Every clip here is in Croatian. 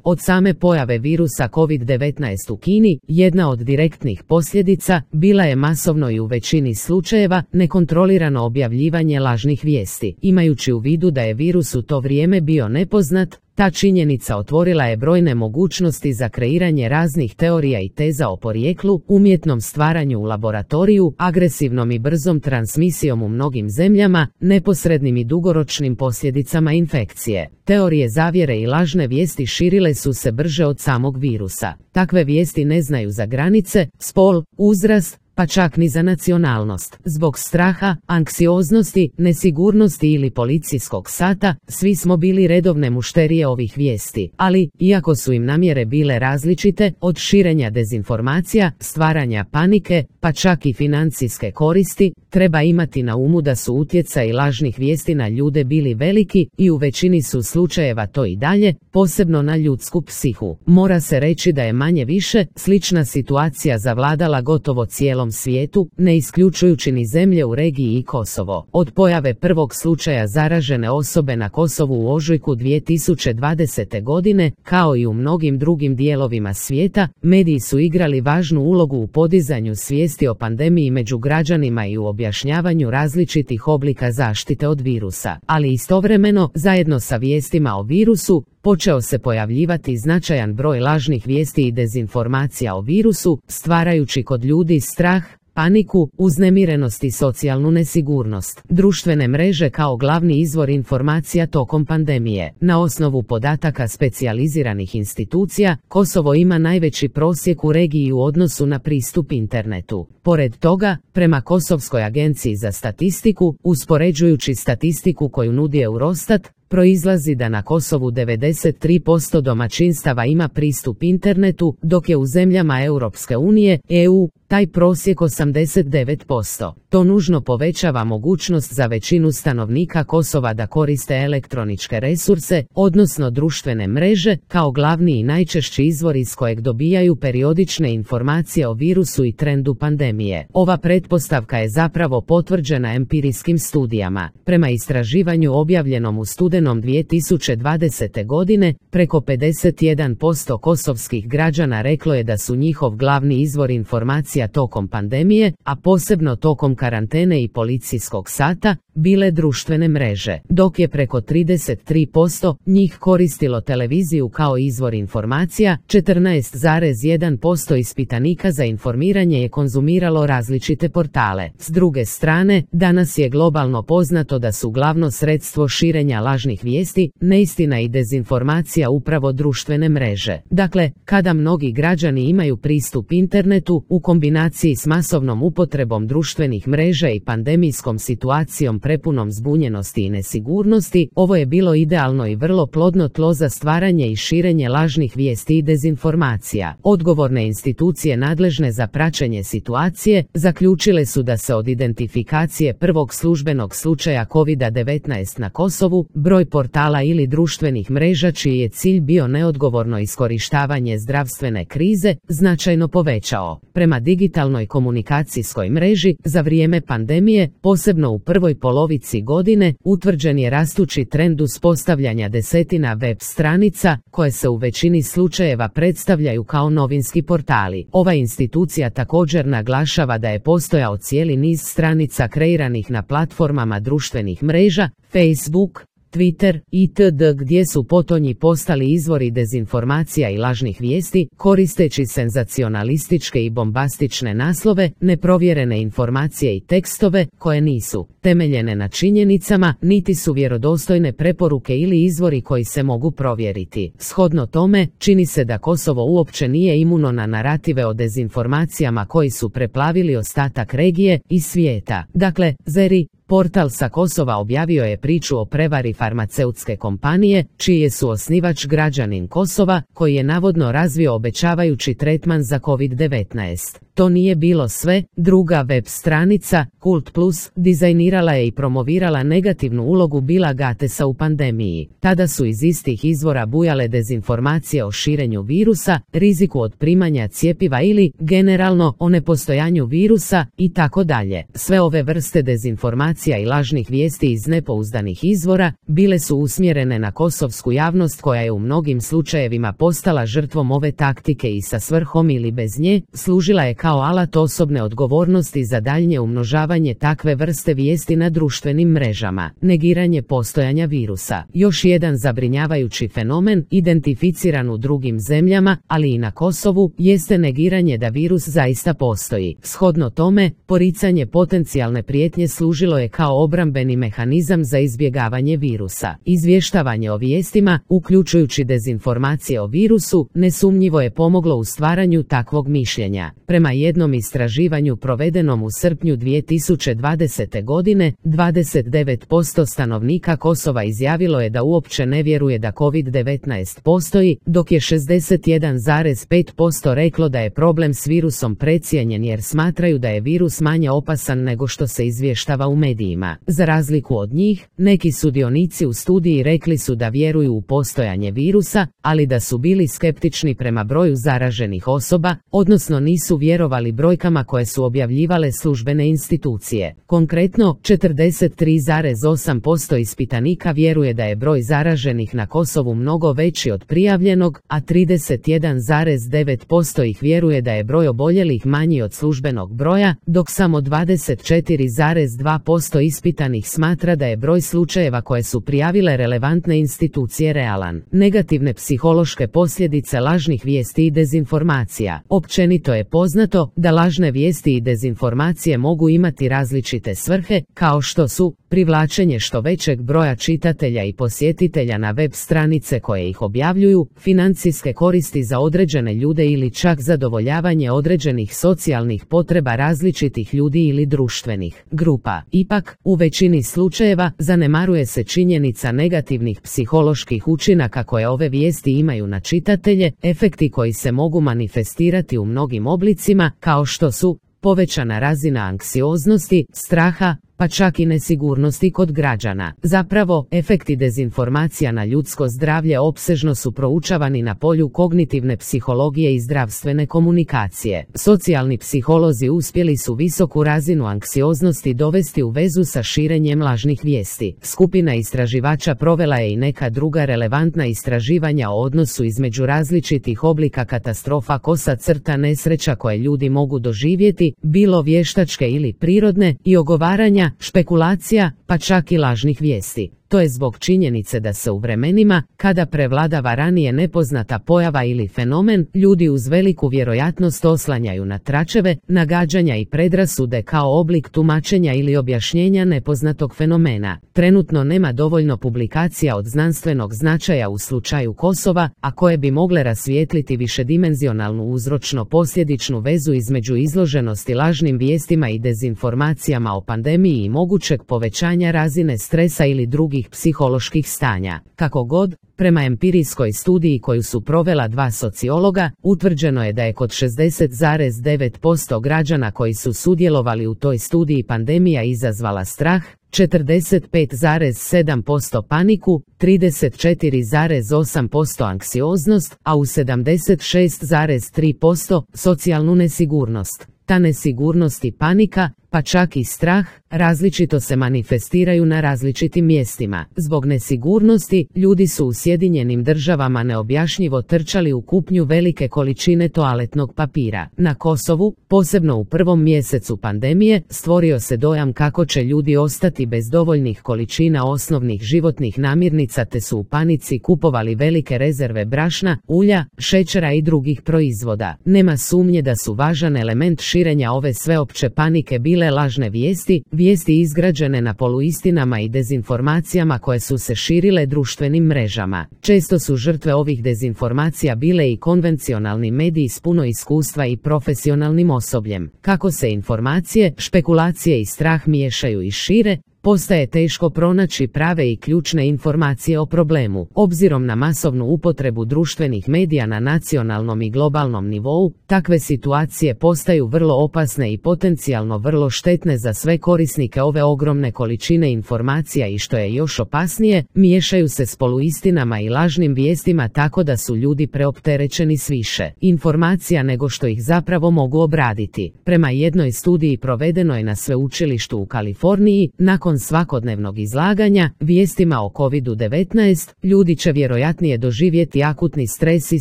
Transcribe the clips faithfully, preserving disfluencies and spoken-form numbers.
Od same pojave virusa kovid devetnaest u Kini, jedna od direktnih posljedica bila je masovno i u većini slučajeva nekontrolirano objavljivanje lažnih vijesti. Imajući u vidu da je virus u to vrijeme bio nepoznat, ta činjenica otvorila je brojne mogućnosti za kreiranje raznih teorija i teza o porijeklu, umjetnom stvaranju u laboratoriju, agresivnom i brzom transmisijom u mnogim zemljama, neposrednim i dugoročnim posljedicama infekcije. Teorije zavjere i lažne vijesti širile su se brže od samog virusa. Takve vijesti ne znaju za granice, spol, uzrast, pa čak ni za nacionalnost. Zbog straha, anksioznosti, nesigurnosti ili policijskog sata, svi smo bili redovne mušterije ovih vijesti. Ali, iako su im namjere bile različite, od širenja dezinformacija, stvaranja panike, pa čak i financijske koristi, treba imati na umu da su utjecaji lažnih vijesti na ljude bili veliki i u većini su slučajeva to i dalje, posebno na ljudsku psihu. Mora se reći da je manje više slična situacija zavladala gotovo cijelom svijetu, ne isključujući ni zemlje u regiji i Kosovo. Od pojave prvog slučaja zaražene osobe na Kosovu u ožujku dvije tisuće dvadesete. godine, kao i u mnogim drugim dijelovima svijeta, mediji su igrali važnu ulogu u podizanju svijesti o pandemiji među građanima i u objašnjavanju različitih oblika zaštite od virusa. Ali istovremeno, zajedno sa vijestima o virusu, počeo se pojavljivati značajan broj lažnih vijesti i dezinformacija o virusu, stvarajući kod ljudi strah, paniku, uznemirenost i socijalnu nesigurnost. Društvene mreže kao glavni izvor informacija tokom pandemije. Na osnovu podataka specijaliziranih institucija, Kosovo ima najveći prosjek u regiji u odnosu na pristup internetu. Pored toga, prema Kosovskoj agenciji za statistiku, uspoređujući statistiku koju nudi Eurostat, proizlazi da na Kosovu devedeset tri posto domaćinstava ima pristup internetu, dok je u zemljama Europske unije, E U, taj prosjek osamdeset devet posto. To nužno povećava mogućnost za većinu stanovnika Kosova da koriste elektroničke resurse, odnosno društvene mreže, kao glavni i najčešći izvor iz kojeg dobijaju periodične informacije o virusu i trendu pandemije. Ova pretpostavka je zapravo potvrđena empirijskim studijama. Prema istraživanju objavljenom u studenom dvije tisuće dvadesete. godine, preko pedeset jedan posto kosovskih građana reklo je da su njihov glavni izvor informacija tokom pandemije, a posebno tokom karantene i policijskog sata, bile društvene mreže, dok je preko trideset tri posto njih koristilo televiziju kao izvor informacija, četrnaest zarez jedan posto ispitanika za informiranje je konzumiralo različite portale. S druge strane, danas je globalno poznato da su glavno sredstvo širenja lažnih vijesti, neistina i dezinformacija upravo društvene mreže. Dakle, kada mnogi građani imaju pristup internetu, u kombinaciji s masovnom upotrebom društvenih mreža i pandemijskom situacijom prepunom zbunjenosti i nesigurnosti, ovo je bilo idealno i vrlo plodno tlo za stvaranje i širenje lažnih vijesti i dezinformacija. Odgovorne institucije nadležne za praćenje situacije zaključile su da se od identifikacije prvog službenog slučaja kovid devetnaest na Kosovu, broj portala ili društvenih mreža čiji je cilj bio neodgovorno iskorištavanje zdravstvene krize, značajno povećao. Prema digitalnoj komunikacijskoj mreži, za vrijeme pandemije, posebno u prvoj polovici godine, utvrđen je rastući trend uspostavljanja desetina web stranica, koje se u većini slučajeva predstavljaju kao novinski portali. Ova institucija također naglašava da je postojao cijeli niz stranica kreiranih na platformama društvenih mreža, Facebook, Twitter itd. Gdje su potonji postali izvori dezinformacija i lažnih vijesti, koristeći senzacionalističke i bombastične naslove, neprovjerene informacije i tekstove, koje nisu temeljene na činjenicama, niti su vjerodostojne preporuke ili izvori koji se mogu provjeriti. Shodno tome, čini se da Kosovo uopće nije imuno na narative o dezinformacijama koji su preplavili ostatak regije i svijeta. Dakle, Zeri, portal sa Kosova objavio je priču o prevari farmaceutske kompanije, čiji je suosnivač građanin Kosova, koji je navodno razvio obećavajući tretman za kovid devetnaest. To nije bilo sve, druga web stranica, Kult Plus, dizajnirala je i promovirala negativnu ulogu Billa Gatesa u pandemiji. Tada su iz istih izvora bujale dezinformacije o širenju virusa, riziku od primanja cjepiva ili, generalno, o nepostojanju virusa i tako dalje. Sve ove vrste dezinformacija i lažnih vijesti iz nepouzdanih izvora bile su usmjerene na kosovsku javnost koja je u mnogim slučajevima postala žrtvom ove taktike i sa svrhom ili bez nje služila je kao alat osobne odgovornosti za daljnje umnožavanje takve vrste vijesti na društvenim mrežama. Negiranje postojanja virusa. Još jedan zabrinjavajući fenomen, identificiran u drugim zemljama, ali i na Kosovu, jeste negiranje da virus zaista postoji. Shodno tome, poricanje potencijalne prijetnje služilo je kao obrambeni mehanizam za izbjegavanje virusa. Izvještavanje o vijestima, uključujući dezinformacije o virusu, nesumnjivo je pomoglo u stvaranju takvog mišljenja. Prema jednom istraživanju provedenom u srpnju dvije tisuće dvadesete. godine, dvadeset devet posto stanovnika Kosova izjavilo je da uopće ne vjeruje da kovid devetnaest postoji, dok je šezdeset jedan zarez pet posto reklo da je problem s virusom precijenjen jer smatraju da je virus manje opasan nego što se izvještava u medijima. Za razliku od njih, neki sudionici u studiji rekli su da vjeruju u postojanje virusa, ali da su bili skeptični prema broju zaraženih osoba, odnosno nisu vjerovali brojkama koje su objavljivale službene institucije. Konkretno, četrdeset tri zarez osam posto ispitanika vjeruje da je broj zaraženih na Kosovu mnogo veći od prijavljenog, a trideset jedan zarez devet posto ih vjeruje da je broj oboljelih manji od službenog broja, dok samo dvadeset četiri zarez dva posto ispitanih smatra da je broj slučajeva koje su prijavile relevantne institucije realan. Negativne psihološke posljedice lažnih vijesti i dezinformacija. Općenito je poznato da lažne vijesti i dezinformacije mogu imati različite svrhe, kao što su privlačenje što većeg broja čitatelja i posjetitelja na web stranice koje ih objavljuju, financijske koristi za određene ljude ili čak zadovoljavanje određenih socijalnih potreba različitih ljudi ili društvenih grupa. Ipak, u većini slučajeva zanemaruje se činjenica negativnih psiholoških učinaka koje ove vijesti imaju na čitatelje, efekti koji se mogu manifestirati u mnogim oblicima, kao što su povećana razina anksioznosti, straha, pa čak i nesigurnosti kod građana. Zapravo, efekti dezinformacija na ljudsko zdravlje opsežno su proučavani na polju kognitivne psihologije i zdravstvene komunikacije. Socijalni psiholozi uspjeli su visoku razinu anksioznosti dovesti u vezu sa širenjem lažnih vijesti. Skupina istraživača provela je i neka druga relevantna istraživanja o odnosu između različitih oblika katastrofa kosa crta nesreća koje ljudi mogu doživjeti, bilo vještačke ili prirodne, i ogovaranja, špekulacija, pa čak i lažnih vijesti. To je zbog činjenice da se u vremenima, kada prevladava ranije nepoznata pojava ili fenomen, ljudi uz veliku vjerojatnost oslanjaju na tračeve, nagađanja i predrasude kao oblik tumačenja ili objašnjenja nepoznatog fenomena. Trenutno nema dovoljno publikacija od znanstvenog značaja u slučaju Kosova, a koje bi mogle rasvijetliti višedimenzionalnu uzročno-posljedičnu vezu između izloženosti lažnim vijestima i dezinformacijama o pandemiji i mogućeg povećanja razine stresa ili drugih psiholoških stanja. Kako god, prema empirijskoj studiji koju su provela dva sociologa, utvrđeno je da je kod šezdeset zarez devet posto građana koji su sudjelovali u toj studiji pandemija izazvala strah, četrdeset pet zarez sedam posto paniku, trideset četiri zarez osam posto anksioznost, a u sedamdeset šest zarez tri posto socijalnu nesigurnost. Ta nesigurnost i panika, pa čak i strah, različito se manifestiraju na različitim mjestima. Zbog nesigurnosti, ljudi su u Sjedinjenim Državama neobjašnjivo trčali u kupnju velike količine toaletnog papira. Na Kosovu, posebno u prvom mjesecu pandemije, stvorio se dojam kako će ljudi ostati bez dovoljnih količina osnovnih životnih namirnica te su u panici kupovali velike rezerve brašna, ulja, šećera i drugih proizvoda. Nema sumnje da su važan element širenja ove sveopće panike bile lažne vijesti, vijesti izgrađene na poluistinama i dezinformacijama koje su se širile društvenim mrežama. Često su žrtve ovih dezinformacija bile i konvencionalni mediji s puno iskustva i profesionalnim osobljem. Kako se informacije, špekulacije i strah miješaju i šire, postaje teško pronaći prave i ključne informacije o problemu. Obzirom na masovnu upotrebu društvenih medija na nacionalnom i globalnom nivou, takve situacije postaju vrlo opasne i potencijalno vrlo štetne za sve korisnike ove ogromne količine informacija i što je još opasnije, miješaju se s poluistinama i lažnim vijestima tako da su ljudi preopterećeni s više informacija nego što ih zapravo mogu obraditi. Prema jednoj studiji provedenoj na sveučilištu u Kaliforniji, nakon svakodnevnog izlaganja vijestima o kovidu devetnaest, ljudi će vjerojatnije doživjeti akutni stres i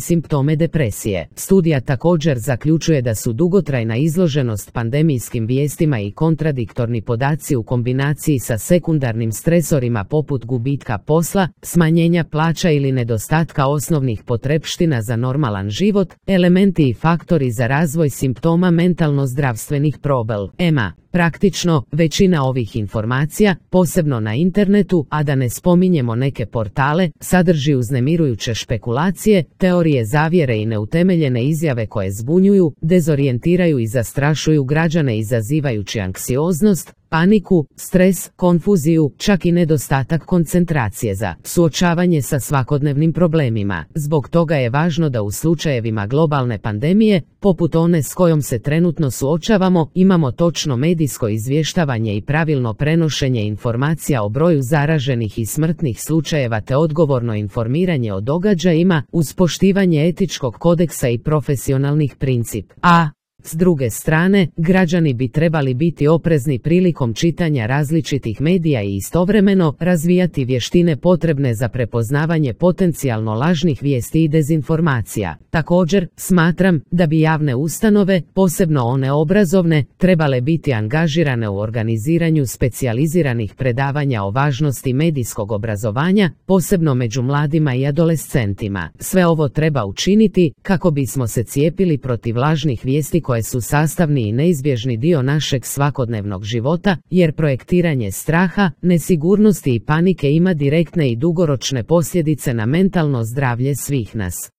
simptome depresije. Studija također zaključuje da su dugotrajna izloženost pandemijskim vijestima i kontradiktorni podaci u kombinaciji sa sekundarnim stresorima poput gubitka posla, smanjenja plaća ili nedostatka osnovnih potrepština za normalan život, elementi i faktori za razvoj simptoma mentalno-zdravstvenih problema. Praktično, većina ovih informacija, posebno na internetu, a da ne spominjemo neke portale, sadrži uznemirujuće špekulacije, teorije zavjere i neutemeljene izjave koje zbunjuju, dezorijentiraju i zastrašuju građane izazivajući anksioznost, paniku, stres, konfuziju, čak i nedostatak koncentracije za suočavanje sa svakodnevnim problemima. Zbog toga je važno da u slučajevima globalne pandemije, poput one s kojom se trenutno suočavamo, imamo točno medijsko izvještavanje i pravilno prenošenje informacija o broju zaraženih i smrtnih slučajeva te odgovorno informiranje o događajima uz poštivanje etičkog kodeksa i profesionalnih principa. A s druge strane, građani bi trebali biti oprezni prilikom čitanja različitih medija i istovremeno razvijati vještine potrebne za prepoznavanje potencijalno lažnih vijesti i dezinformacija. Također, smatram da bi javne ustanove, posebno one obrazovne, trebale biti angažirane u organiziranju specijaliziranih predavanja o važnosti medijskog obrazovanja, posebno među mladima i adolescentima. Sve ovo treba učiniti kako bismo se cijepili protiv lažnih vijesti koje su sastavni i neizbježni dio našeg svakodnevnog života, jer projektiranje straha, nesigurnosti i panike ima direktne i dugoročne posljedice na mentalno zdravlje svih nas.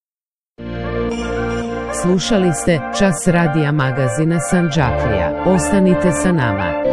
Slušali ste Čas radija magazina Sandžaklija. Ostanite sa nama.